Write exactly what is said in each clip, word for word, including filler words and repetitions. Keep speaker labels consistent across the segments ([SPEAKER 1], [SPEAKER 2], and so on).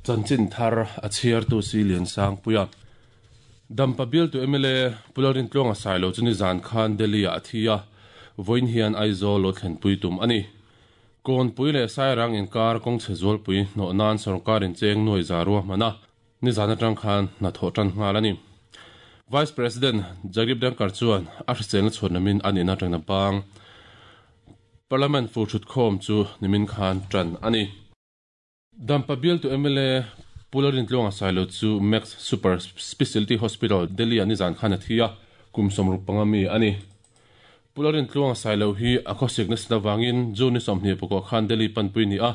[SPEAKER 1] Chanchin thar a chhiartu si lian sang puia Dampa bial tu M L A Pularin tlonga sailo chuni zan khan Delhi a thia voin hian Aizawl lo thlen pui tum ani kon pui le sairang in kar kong chezol pui no nan sarkar in cheng noi zarua mana ni zan atang khan na tho tan ngal ani Vice President Jagdeep Dhankhar chuan a hrisel chhuan namin ani na tang na bang Parliament fu thut khom chu nimin khan tran ani Dampa bial tu M L A Pularin tlonga sailo chu Max Super Specialty Hospital Delhi ani zan khan athia kum somruk pangami ani Pularin tlonga sailo hi a khosik na sawangin juni somni poko khan Delhi panpui ni a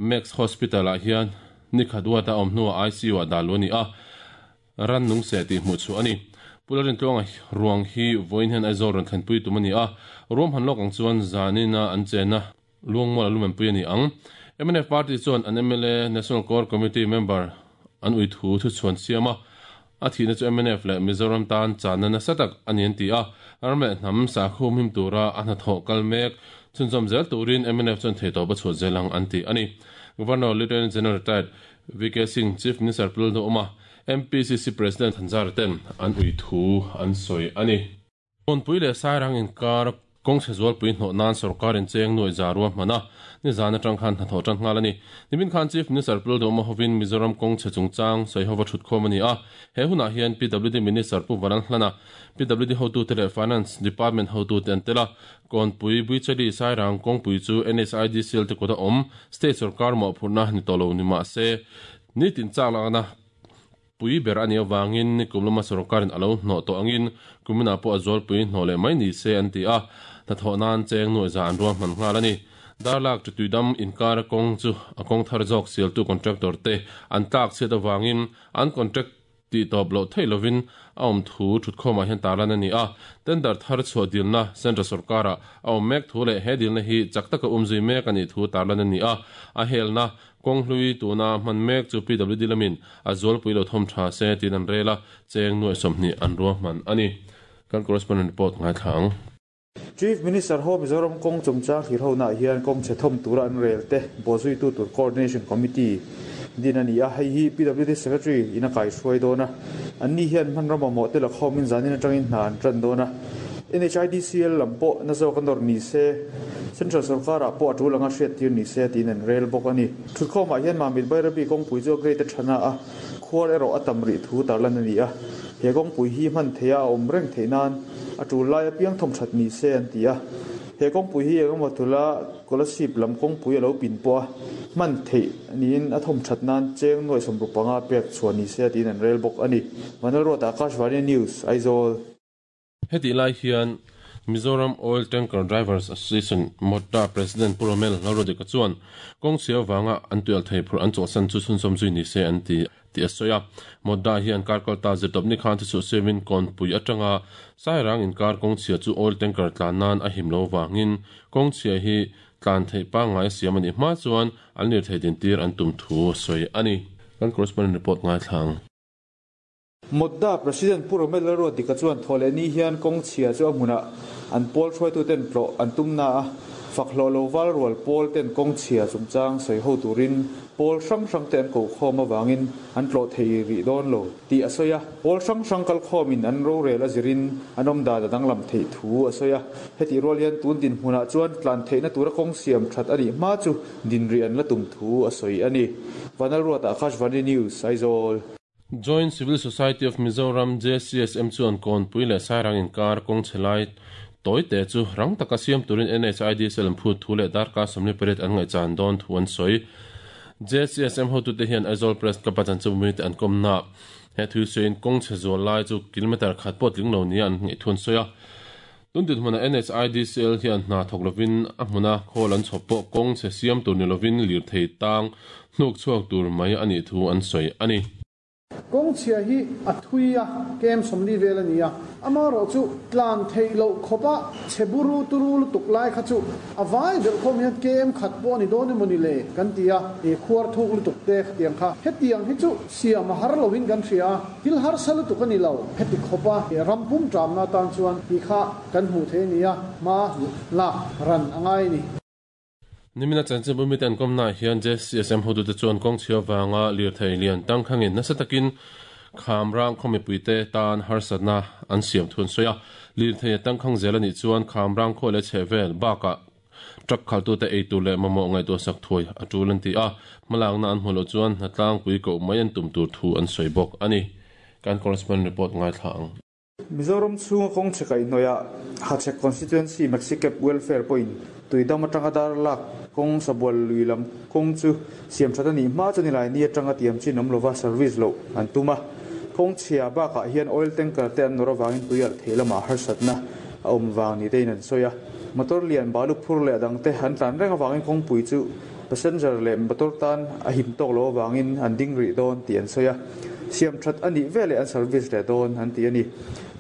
[SPEAKER 1] Max Hospital a hian ni khadwa ta omnu I C U a daloni a ran nung se ti mu chu ani Pularin tlonga ruang hi voin hen Aizawl ron thlenpui tumani a rom han lok ang chuan zanina an chena luangmol alumen pui ani ang M N F party chuan an M L A National Core Committee member an ui thu thu chuan siama a thina chu M N F le Mizoram tan chana na satak ani an ti a arme nam sa khum him tura an tho kalmek chunzom zel turin M N F chuan theito ba chu zelang an ti ani Governor Lieutenant General retired V K Singh Chief Minister Puldo Uma M P C C President Hanzar ten an ui thu an soi ani on pui le sairang in kar kong sezol pui no nan sarkar in cheng noi zarua mana ni zana tang khan tho tang ngal ani nimin khan Chief Minister Puldo Uma hovin Mizoram kong chechung chang soi hova thut khom ani a he huna hian P W D Minister Pu Varan Hlana P W D hotu tele Finance Department hotu ten tela kon pui buichali sairang kong pui chu N S I D C L te kota om state sarkar mo phurna ni tolo ni ma se ni tin chak la na pui ber ani awangin ni kumlama sarkarin alo no to angin kumina po azol pui no le mai ni se an ti a ta thonan cheng noi za an ruam man ngal ani darlak chu tuidam inkar kong chu akong thar jok sel tu contractor te an tak se ta wangin an contract ti top lo theilovin aum thu thut khoma hian talan ani a tender thar chu dilna central sarkara aum mek thu le he dilna hi chakta ka umzui mek ani thu talan ani a a helna kong hlui tuna man mek chu P W D lamin azol puilo thom tha se tin an rela cheng noi somni an ruam man ani kan correspondent report ngai thang
[SPEAKER 2] Chief Minister ho Mizoram kong chungchang hir ho na hian kong chethom tura an rel te bozui tu tur coordination committee din ani a hei hi P W D secretary ina kai hruai dona anni hian man rama mo te la khomin zanin atangin hna an tran dona N H I D C L lampo na zo kanor ni se Central Sarkar a po atul anga hriat tir ni se tin an rel bawk ani thutkhawmah hian mamit bairabi kawngpui chu great thana a khuar erawh a tam rih thu tarlan ani a he kawngpui hi hman theia a awm reng theih nan a tul lai apiang thawm that ni se an ti a he kawngpui hi engemaw thula kolasip lam kawngpui a lo pin pawh a hman theih niin a thawm that nan cheng nuai sawmruk panga pek chhuah ni se tin an rel bawk ani Vanlalruat Akashvani News Aizawl
[SPEAKER 1] heti lai hian Mizoram Oil Tanker Drivers Association Motta President Puromel Lalrodika chuan kong sia wanga an tual thei phur an chawsan chu chun som zui ni se an ti ti asoya Motta hian karkal ta zetop ni khan chu seven kon pui atanga sairang in kar kong chia chu oil tanker tlan nan a himlo wangin kong chia hi tlan thei pa ngai siam ani ma chuan an lir thei din tir an tum thu soi ani kan correspondent report ngai thlang
[SPEAKER 2] Modda President Puromel Lalrodika chuan thole ni hian kong chia chu amuna an pol thoi tu ten tlo an tumna a fakhlo lo wal rol pol ten kong chia chungchang soi ho turin pol sang sang ten ko khom awangin an tlo thei ri don lo ti asoya pol sang sang kal khomin an ro rel azirin anom da da danglam thei thu asoya heti rol hian tun din hmuna chuan tlan theina tura kong siam that ani ma chu din ri an la tum thu asoi ani Vanalruat Akashvani News Aizawl
[SPEAKER 1] Joint Civil Society of Mizoram J C S M chuan kon pui le sairang in kar kong chelai toi te chu rang taka siam turin N H I D C L phu thu le dar ka somni peret an ngai chan don thu an soi J C S M ho tu te hian Aizawl Press ka pachan chu mi te an kom na he thu sein kong che zol lai chu kilometer khat pot ling lo ni an ngai thun soya tun dit hmuna N H I D C L hian hna thok lovin a hmuna khol an chhopo kong che siam tur ni lovin lir thei tang hnuk chuak tur mai ani thu an soi ani
[SPEAKER 3] kong chia hi a thuia kem somli vel ania amaro chu tlan theilo khopa cheburu turu tuk lai kha chu awai bel khom hian kem khat po ni don moni le kan tia e khuar thuk lu tuk te tiang kha hetiang hi chu siam har lovin kan thria til har sal tu kan ni lo heti khopa rampum tram na tan chuan hi kha kan hu the nia ma la ran angai ni
[SPEAKER 1] Nimina chanchin bumi ten komna hian J C S M hotu te chuan kong chhia wanga lir thei lian tangkhangin nasa takin khamrang khomi puite tan harsatna an siam thun soya lir thei tangkhang zelani chuan khamrang khole chhevel baka truck khaltu te eitu le mamo ngai to sak thoi atulan ti a malangna an hmulo chuan hnatlang pui ko mai an tum tur thu an soibok ani kan correspondent report ngai thlang
[SPEAKER 2] Mizoram chunga kong chekai noya Hachhek constituency Maxicab welfare point tuidam atanga dar lak kong sabwal luilam kong chu siam thatani ma chani lai ni atanga tiam chin omlova service lo an tuma kong chhia ba ka hian oil tanker te an nora wangin tuial thelama harsatna a om wang ni tein an soya motor lian balu phur le adang te han tlan renga wangin kong pui chu passenger le motor tan a him tok lo wangin an ding ri don ti an soya siam that ani vele an service le don an ti ani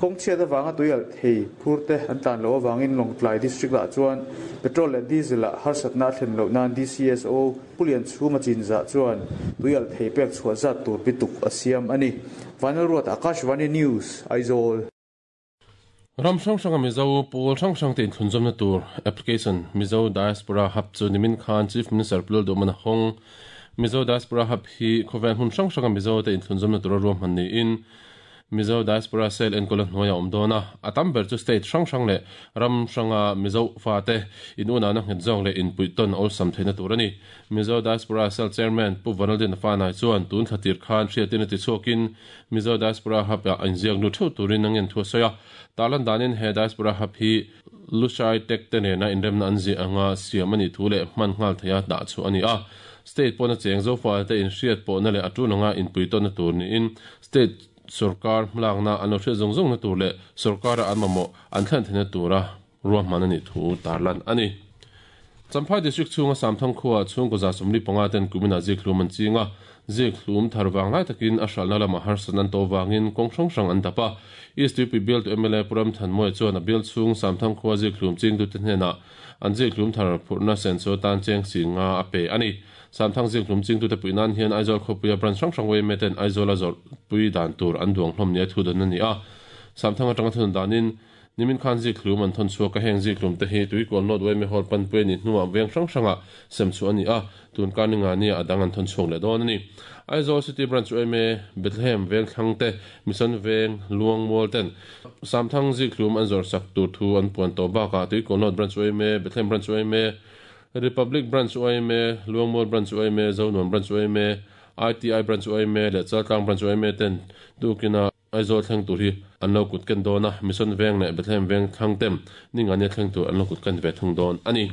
[SPEAKER 2] kong chhia da wanga tuial thei phur te an tlan lo wangin Lawngtlai district la chuan petrol le diesel a harsatna thlen lo nan D C S O pulian chhuma chinza chuan tuial thei pek chhuwa zat tur bituk a siam ani Vanal Ruat Akashvani News Aizawl
[SPEAKER 1] Ram sang sang Mizo pawl sang sang te thlunzom na tur application Mizo Diaspora Hub chu nimin khan Chief Minister Pulol Domana Hong Mizo Diaspora Hub hi khovel hun sang sang Mizo te thlunzom na tur rom han ni in Mizo Diaspora Cell en kolon hnoya omdona atam ber chu state sang sang le ram sanga Mizo fa te in una na nget zong le in puiton ol sam theina tur ani Mizo Diaspora Cell Chairman Pu Vanaldin fa nai chuan tun khatir khan hriatin ti chuakin Mizo Diaspora Hub ya anziak nu thu turin angen thu soya talan danin he Diaspora Hub hi Lushai Tech te ne na inrem na anzi anga siamani thu le man ngal theya da chu ani a state pona cheng zo fa te in hriat pawh na le atulanga in puiton na tur ni in state sarkar mlangna ano hre zong zong na tur le sarkar an mamo an thlan thena tura ruam manani thu tarlan ani Champhai district chunga samthang khuwa chung ko za somli panga ten kumina ziklum an chinga ziklum tharwang lai takin a hral na lama harsanan to wangin kong hrang hrang an tapa East U P bill to M L A Puram Thanmoi chuan a bill chung samthang khuwa ziklum ching tu te hnena an ziklum thar phurna sen so tan cheng singa a pe ani samthang ziklum ching tu te puinan hian Aizawl khopuia branch hrang hrang wei meten Aizawl a zawr pui dan tur an duang hlawm nia thu dan ani a samthang atanga thun danin nimin khan ziklum an thon chuak a heng ziklum te hi tuikol not wei me hol pan pui ni hnuah veng hrang hranga sem chu ani a tun kaninga ni adang an thon chuak le dawn ani Aizawl City Branch M A Bethlehem veng thlang te Mission veng Luang Mall ten samthang ziklum an zawr sak tur thu an puan to baka tuikol not Branch M A Bethlehem Branch M A Republic Branch M A Luang Mall Branch M A Zonuam Branch M A I T I Branch M A le Chaltlang Branch M A ten tukina Aizawl thleng tur hi an lo kut ken dawn a Mission veng leh Bethlehem veng thlang tem ninga nia thleng tur an lo kut ken ve thung dawn ani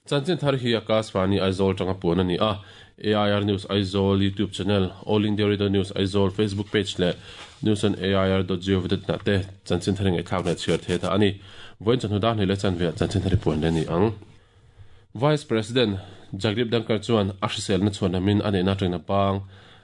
[SPEAKER 1] chanchin thar hi Akashvani Aizawl tanga puan ani a A I R News Aizawl YouTube channel All India Radio News Aizawl Facebook page le news on A I R dot gov dot na te chanchin thar ngai thlak le chhiar the tha ani voin chan huda ni le chan ve chanchin thar puan le ni ang Vice President Jagdeep Dhankhar chuan a hrisel na chuan amin ani na tengna pang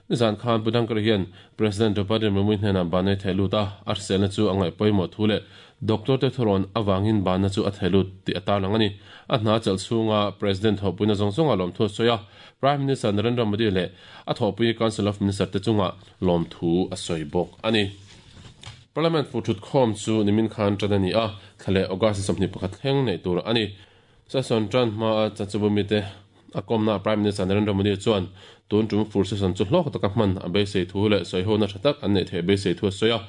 [SPEAKER 1] nizan khan Budangkar hian President Draupadi Murmu hnena banai thailuta a hrisel na chu angai pawimawh thu le Doctor te thuron awangin bana chu a thailut ti atalang ani a hna chal chunga President hopuina zawng zawnga lawm thu soya Prime Minister Narendra Modi le a thawpui Council of Minister te chunga lawm thu a sawi bawk ani Parliament fu thut khawm chu nimin khan tan ani a thlale August sawmhnih pakhat thleng nei tur ani session tan hma a chanchubumi te a kawmna Prime Minister Narendra Modi chuan tun tum fur session chu hlawk taka hman a beisei thu le sawi ho na tha tak an nei thei beisei thu a sawi a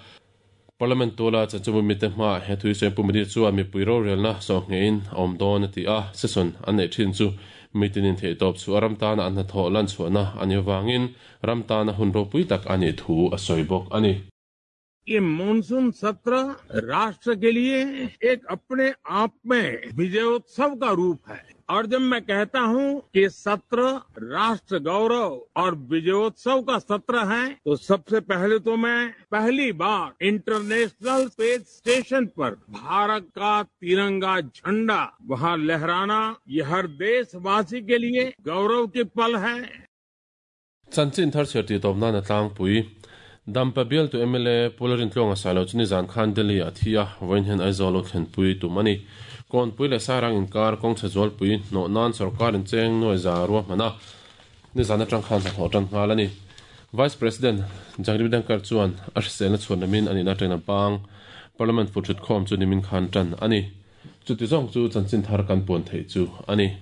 [SPEAKER 1] Parliament tola chanchubumi te hma he thui sawi pu Modi chuan mipui rorelna sawhngein a awm dawn a ti a session an nei thin chu mitinin thei tawp chu a ram tana an hnathawh lan chhuahna ani wangin ram tana hun ropui tak ani thu a sawi bawk ani
[SPEAKER 4] ये मानसून सत्र राष्ट्र के लिए एक अपने आप में विजयोत्सव का रूप है और जब मैं कहता हूं कि सत्र राष्ट्र गौरव और विजयोत्सव का सत्र है तो सबसे पहले तो मैं पहली बार international space station पर भारत का तिरंगा झंडा वहां लहराना ये हर देशवासी के लिए गौरव के पल है।
[SPEAKER 1] Chanchin thar chher ti tawp na tlangpui Dampa bial tu M L A Pularin tlonga salo chuni zan khan Delhi a thia voin hen Aizawl lo thlen pui tumani kon pui le sarang in kar kong chhajol pui no nan sarkar in cheng noi za ruwa mana ni zan atang khan sa hotan ngalani Vice President Jagdeep Dhankhar chuan a hrisel na chuan namin ani na tena bang Parliament fu thut khom chu nimin khan tan ani chuti zawng chu chanchin thar kan puan thei chu ani.